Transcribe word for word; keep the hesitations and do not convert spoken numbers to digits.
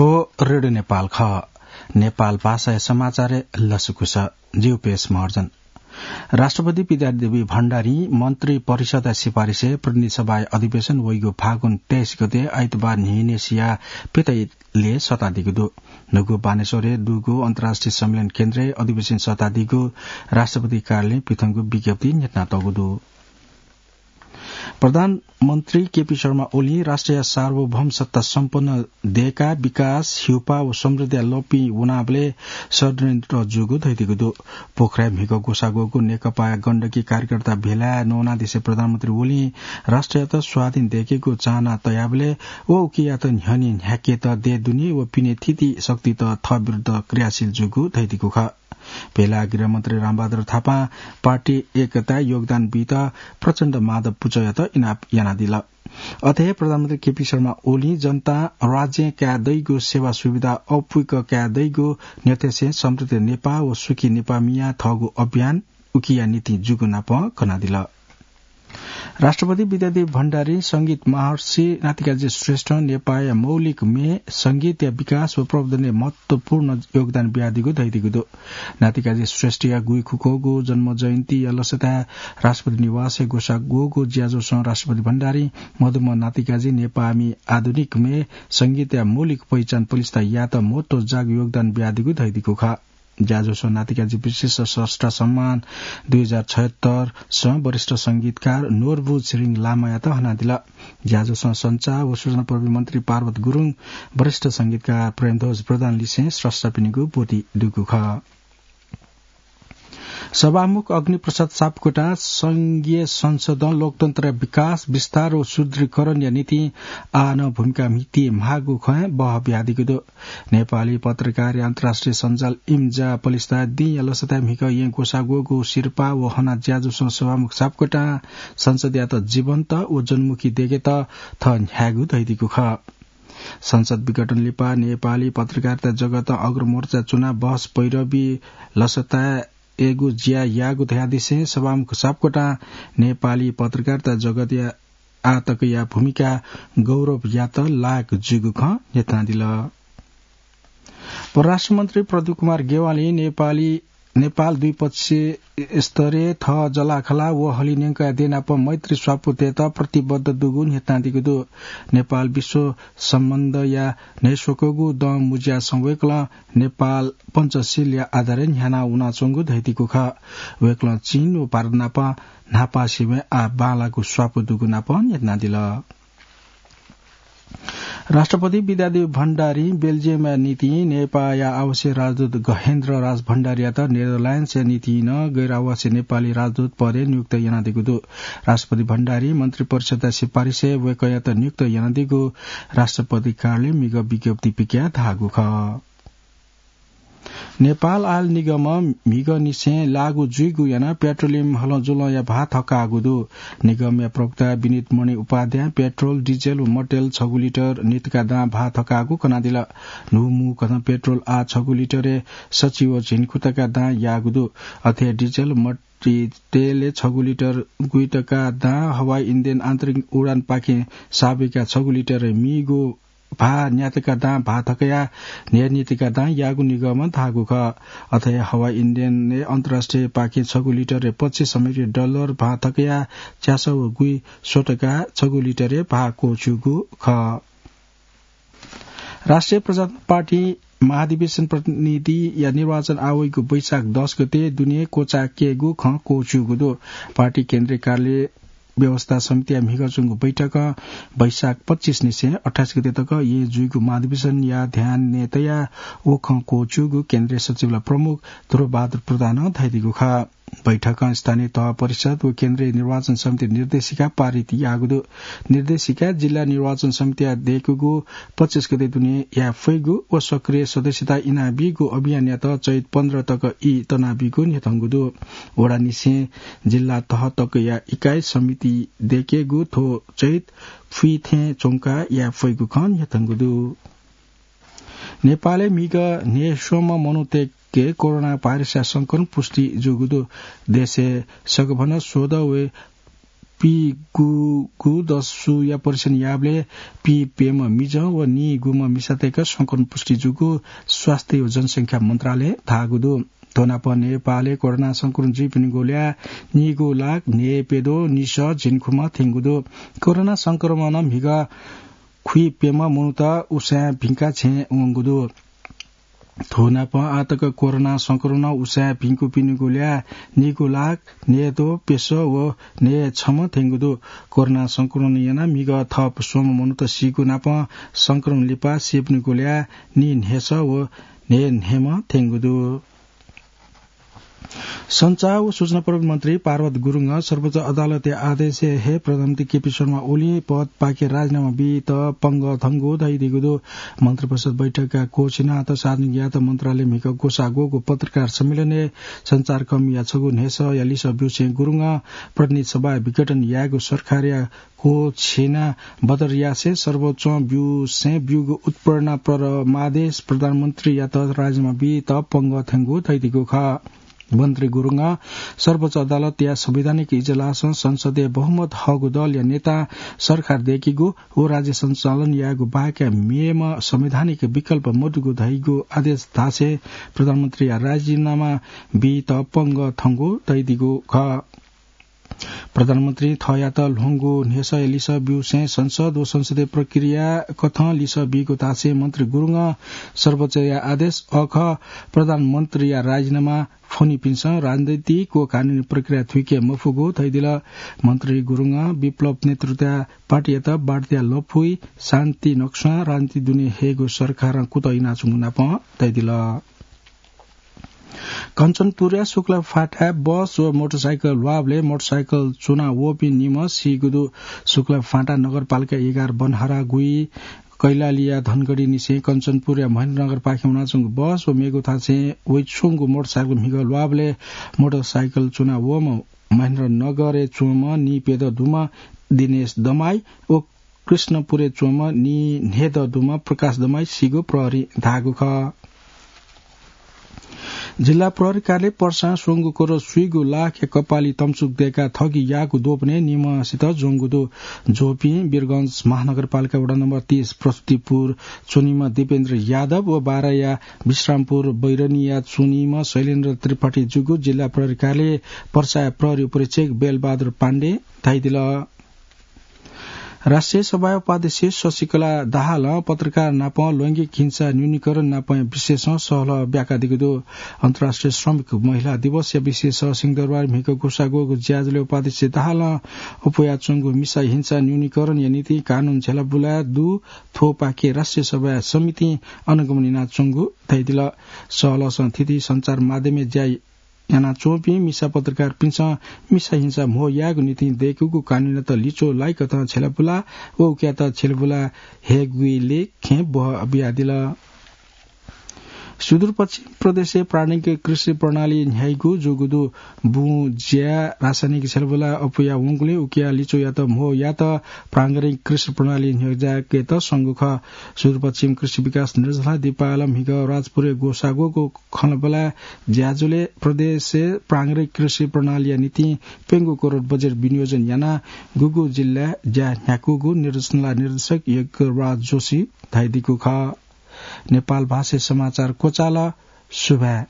ओ रेडियो नेपाल खः। नेपाल भाषाया समाचारय् लसकुस। जिउ पेश महर्जन। राष्ट्रपति विद्यादेवी भण्डारी मन्त्री परिषदया सिफारिसय् प्रतिनिधि सभाया अधिवेशन वइगु फागुन तेइस गते आइतबार न्हिनेसिया पितैले सतादीगु दु। न्हूगु बानेश्वरय् दुगु अन्तर्राष्ट्रिय सम्मेलन केन्द्रय् अधिवेशन सतादीगु राष्ट्रपति कार्यालयं पिथंगु विज्ञप्ति न्ह्यथनातःगु दु। प्रधानमन्त्री केपी शर्मा ओलीं राष्ट्रया सार्वभौम सत्ता सम्पन्न देय्‌का विकास, ह्युपा व समृद्धिया लँपि वनाबलय् षड्यन्त्र जूगु धयादीगु दु। पोखराय् म्हिगः ग्वसाः ग्वःगु नेकपाया गण्डकी कार्यकर्ता भेलाय् नवानादिसे प्रधानमन्त्री ओलीं राष्ट्रयात स्वाधीन देय्‌केगु चाहना तयाबलय् व उकियात न्ह्यःने न्ह्याकेत देय् दुने व पिने थीथी शक्तित थः विरुद्ध क्रियाशील जूगु धयादीगु खः। भेलाय् गृहमन्त्री रामबहादुर थापां पार्टी एकताय् योगदान बीत प्रचण्ड माधव पुचःयात इनाप यानादिल। अथे हे प्रधानमन्त्री केपी शर्मा ओलीं जनतां राज्यं काये दइगु सेवा सुविधा अःपुक काये दइगु न्ह्यथेसें समृद्ध नेपाः व सुखी नेपाः मियाः थःगु अभियान उकिया निंतिं जूगु नाप कनादिल। राष्ट्रपति विद्यादेवी भण्डारीं संगीत महर्षि नातिकाजी श्रेष्ठं नेपाःया मौलिक म्ये संगीतया विकास व प्रवर्धनय् महत्वपूर्ण योगदान बियादीगु धयादीगु दु। नातिकाजी श्रेष्ठया गुइखुक्वःगु जन्म जयन्तीया लसताय् राष्ट्रपति निवासय् ग्वसाः ग्वःगु ज्याझ्वलय् राष्ट्रपति भण्डारीं मदुम्ह नातिकाजी नेपाःमि आधुनिक म्ये संगीतया मौलिक पहिचान पलिस्था यायेत महत्वजाःगु योगदान बियादीगु धयादीगु खः। ज्याझ्वलय् नातिकाजी विशिष्ट स्रष्टा सम्मान दुई हजार छयत्तर सं वरिष्ठ संगीतकार नोर्बु छिरिङ लामायात हनादिल। ज्याझ्वलय् सञ्चार व सूचना प्रविधि मन्त्री पार्वत गुरुङ, वरिष्ठ संगीतकार प्रेमध्वज प्रधान लिसें स्रष्टापिनिगु ब्वति दुगु खः। सभामुख अग्निप्रसाद सापकोटां संघीय संसदं लोकतन्त्रया विकास, विस्तार व सुदृढीकरणया निंतिं आः नं भूमिका म्हिते म्हाःगु खँय् बहः बियादीगु दु। नेपाली पत्रकारया अन्तर्राष्ट्रिय सञ्जाल इम्जा पलिस्था दिंया लसताय् म्हिगः येँ ग्वसाः ग्वःगु सिरपाः व हना ज्याझ्वलय् सभामुख सापकोटां संसदयात जीवन्त व जनमुखी देय्‌केत थः न्ह्याःगु धयादीगु खः। संसद विघटन लिपा नेपाली पत्रकारिता जगतं अग्रमोर्चा च्वनाः बहस पैरवी लसताय्‌गु ज्या याःगु धयादिसें सभामुख सापकोटां नेपाली पत्रकारिता जगतया आःतकया भूमिका गौरवयात लायक जूगु खँ न्ह्यथनादिल। परराष्ट्र मन्त्री प्रदीप कुमार ज्ञवालीं नेपाली, नेपाल द्विपक्षीय स्तरय् थः जःलाखःला व हलिंन्यंकया देय् नाप मैत्री स्वापू तयेत प्रतिबद्ध दुगु न्ह्यथनादीगु दु। नेपाल विश्व सम्बन्धया न्हय्‌स्वकःगु दँ मुँज्यासं वय्‌कलं नेपाल पञ्चशीलया आधारय् न्ह्याना वनाच्वंगु धयादीगु खः। वय्‌कलं चीन व भारत नाप न्हापा सीमाय् आः बांलाःगु स्वापू दुगु नाप न्ह्यथनादिल। राष्ट्रपति विद्यादेवी भण्डारीं बेल्जियमया निंतिं नेपाःया आवासीय राजदूत गहेन्द्र राज भण्डारीयात नेदरल्याण्ड्सया निंतिं नं गैर आवासीय नेपाली राजदूत पदय् नियुक्त यानादीगु दु। राष्ट्रपति भण्डारीं मन्त्री परिषदया सिफारिसय् वय्‌कःयात नियुक्त यानादीगु राष्ट्रपति कार्यालयं म्हिगः विज्ञप्ति पिकयाः धाःगु खः। नेपाल आयल निगमं म्हिगःनिसें लागू जुइगु यानाः पेट्रोलियम हलंजुलंया भाः थकाःगु दु। निगमया प्रवक्ता विनित मणि उपाध्यायं पेट्रोल, डिजेल व मटेल छगू लिटर नितका दां भाः थकाःगु कनादिल। न्हूम्हू कथं पेट्रोल आः छगू लिटरय् सछि व झिंखुतका दां याःगु दु। अथे हे डिजेल, मट्टी तेलय् छगू लिटर गुइतका दां, हवाई इन्धन आन्तरिक उडानपाखें साबुइका छगू लिटरय् मीगू भाः न्यातका दां भाः थकया न्हय्‌नितका दां याःगु निगमं धाःगु खः। अथे हवाई इन्धनय् अन्तर्राष्ट्रियपाखें छगू लिटरय् पच्चिस अमेरिकी डलर भाः थकया च्यासः व गुइस्वतका छगू लिटरय् भाः क्वःछ्यूगु खः। राष्ट्रिय प्रजातन्त्र पार्टी महाधिवेशन प्रतिनिधिया निर्वाचन आः वइगु वैशाख दस गते दुने क्वचायेकेगु खँ क्वःछ्यूगु दु। पार्टी केन्द्रीय कार्यालय व्यवस्था समितिया म्हिगः च्वंगु बैठकं वैशाख पच्चिस निसें अट्ठाइस गते तक येँ जुइगु महाधिवेशनया ध्यानय् तयाः व खँ क्वःछ्यूगु केन्द्रीय सचिवालय प्रमुख ध्रुवबहादुर प्रधानं धयादीगु खः। बैठकं स्थानीय तह परिषद व केन्द्रीय निर्वाचन समिति निर्देशिका पारित याःगु दु। निर्देशिकाय् जिल्ला निर्वाचन समितिया दय्‌कूगु पच्चिस गते दुने याये फइगु व सक्रिय सदस्यता इनाबीगु अभियानयात चैत पन्ध्र तक ई तनाबीगु न्ह्यथंगु दु। वडानिसें जिल्ला तह तकया इकाइ समिति दय्‌केगु थ्व चैत फुइँ थें च्वंकाः याये फइगु खँ न्ह्यथंगु दु। नेपालय् म्हिगः न्हय्‌स्वम्ह मनूतय्‌के कोरोना भाइरसया संक्रमण पुष्टि जूगु दु। देशय् सकभनं स्वदँ व पीगूगु दसुया परीक्षण याःबलय् पीप्यम्ह मिजं व नीगुम्ह मिसातय्‌क संक्रमण पुष्टि जूगु स्वास्थ्य व जनसंख्या मन्त्रालयं धाःगु दु। थ्व नाप नेपालय् कोरोना संक्रमण जुइपिनिगु ल्याः नीगू लाख न्हय्‌प्यद्वः निसः झिंखुम्ह थ्यंगु दु। कोरोना संक्रमणं म्हिगः खुइप्यम्ह मनूत उसाँय् भिंकाः छेँय् वंगु दु। थ्व नाप आःतक कोरोना संक्रमणं उसाँय् भिंकूपिनिगु ल्याः नीगू लाख न्हय्‌द्वः प्यसः व न्हय्‌छम्ह थ्यंगु दु। कोरोना संक्रमण यानाः म्हिगः थप स्वम्ह मनूत सीगु नाप संक्रमण लिपा सीपिनिगु ल्याः नीन्हय्‌सः व न्हय्‌न्हय्‌म्ह थ्यंगु दु। सञ्चार व सूचना प्रविधि मन्त्री पार्वत गुरुङं सर्वोच्च अदालतया आदेशय् हे प्रधानमन्त्री केपी शर्मा ओलीं पदपाखे राजीनामा बीत पंगः थंगु धयादीगु दु। मन्त्रिपरिषद बैठकय् क्वःछिनाः सार्वजनिक यायेत मन्त्रालयं म्हिगः ग्वसाः ग्वःगु पत्रकार सम्मेलनय् सञ्चारकर्मीया छगू न्हय्‌सःया लिसः ब्यूसें गुरुङं प्रतिनिधि सभा विघटन यायेगु सरकारया क्वःछिना बदर यासें सर्वोच्चं ब्यूसें ब्यूगु उत्पीडन परमादेश प्रधानमन्त्रीयात राजीनामा बीत पंगः थ्यंगु धयादीगु खः। मन्त्री गुरुङं सर्वोच्च अदालतया संवैधानिक इजलासं संसदय् बहुमत हःगु दलया नेतां सरकार दय्‌कीगु व राज्य सञ्चालन यायेगु बाहेक मेम्ह संवैधानिक विकल्प मदुगु धइगु आदेश धासें प्रधानमन्त्रीया राजीनामा बीत पंगः थंगु धयादीगु खः। प्रधानमन्त्रीं थःयात ल्ह्वंगु न्हय्‌सःया लिसः ब्यूसें संसद व संसदीय प्रक्रिया कथं लिसः बीगु धासें मन्त्री गुरुङं सर्वोच्चया आदेश अःखः, प्रधानमन्त्रीया राजीनामा फ्वनीपिन्सं राजनीतिक व कानूनी प्रक्रिया थुइके मफुगु धयादिल। मन्त्री गुरुङं विप्लव नेतृत्वया पार्टीयात बाटोया लँपुइ शान्ति नक्सां राजनीति दुने हयेगु सरकारं कुतः यानाच्वंगु नाप धयादिल। कञ्चनपुरया शुक्लाफाँटाय् बस व मोटरसाइकल ल्वाःबलय् मोटरसाइकल च्वना वःपिं निम्ह सीगु दु। शुक्लाफाँटा नगरपालिका एघार बनहरा गुइ कैलालीया धनगढीनिसें कञ्चनपुरया महेन्द्रनगरपाखे वनाच्वंगु बस व मेगु थासय् वइच्वंगु मोटरसाइकल म्हिगः ल्वाःबलय् मोटरसाइकल च्वना वःम्ह महेन्द्रनगरय् च्वंम्ह नीप्यदँ दुम्ह दिनेश दमाई व कृष्णपुरय् च्वंम्ह नीन्हय्‌दँ दुम्ह प्रकाश दमाई सीगु प्रहरीं धाःगु खः। जिल्ला प्रहरी कार्यालयं पर्सां स्वंगू करोड स्वीगू लाखया कपाली तमचुक दय्‌काः ठगी याःगु द्वपनय् निम्हसित ज्वंगु दु। ज्वःपिं वीरगंज महानगरपालिका वडा नम्बर तीस प्रस्तुतिपुर च्वनीम्ह दीपेन्द्र यादव व बाराया विश्रामपुर बैरनीया च्वनीम्ह शैलेन्द्र त्रिपाठी जूगु जिल्ला प्रहरी कार्यालय पर्साया प्रहरी उपरीक्षक बेलबहादुर पाण्डें धयादिल। राष्ट्रिय सभाया उपाध्यक्ष शशिकला दाहालं पत्रकार नाप लैंगिक हिंसा न्यूनीकरण नापया विषयसं सहलह ब्याकादीगु दु। अन्तर्राष्ट्रिय श्रमिक महिला दिवसया विषयसं सिंहदरबार म्हिगः ग्वसाः ग्वःगु ज्याझ्वलय् उपाध्यक्ष दाहालं अप्वयाच्वंगु मिसा हिंसा न्यूनीकरणया निंतिं कानून झ्यालाबुला दु। थ्वपाखे राष्ट्रिय सभाया समितिं अनुगमन यानाच्वंगु धयादिल। सहलहसं थीथी सञ्चार माध्यमय् ज्या यानाच्वंपिं मिसा पत्रकारपिन्सं मिसा हिंसा म्हो यायेगु निंतिं दय्‌कूगु कानूनयात लिच्वः लाइकथं झ्यालाबुला व उकियात झ्यालाबुला हयेगुलिइ खँय् ब्वहः बियादिल। सुदूरपश्चिम प्रदेशय् प्राङ्गिक कृषि प्रणाली न्ह्याइगु जूगु दु। बुँ ज्याय् रासायनिक झ्यालाबुला अप्वया वंगुलिं उकिया लिच्वःयात म्हो यायेत प्राङ्गिक कृषि प्रणाली न्ह्यज्याकेत स्वंगु खः। सुदूरपश्चिम कृषि विकास निर्देशनालयं दिपालं म्हिगः राजपुरय् ग्वसाः ग्वःगु खँल्हाबल्हा ज्याझ्वलय् प्रदेशय् प्राङ्गिक कृषि प्रणालीया निंतिं प्यंगू करोड बजेट विनियोजन यानाः गुगु जिल्लाय् ज्या न्ह्याकूगु निर्देशनालय निर्देशक यज्ञराज जोशीं धयादीगु खः। नेपाल भाषाय् समाचार क्वचाल। सुभाय्।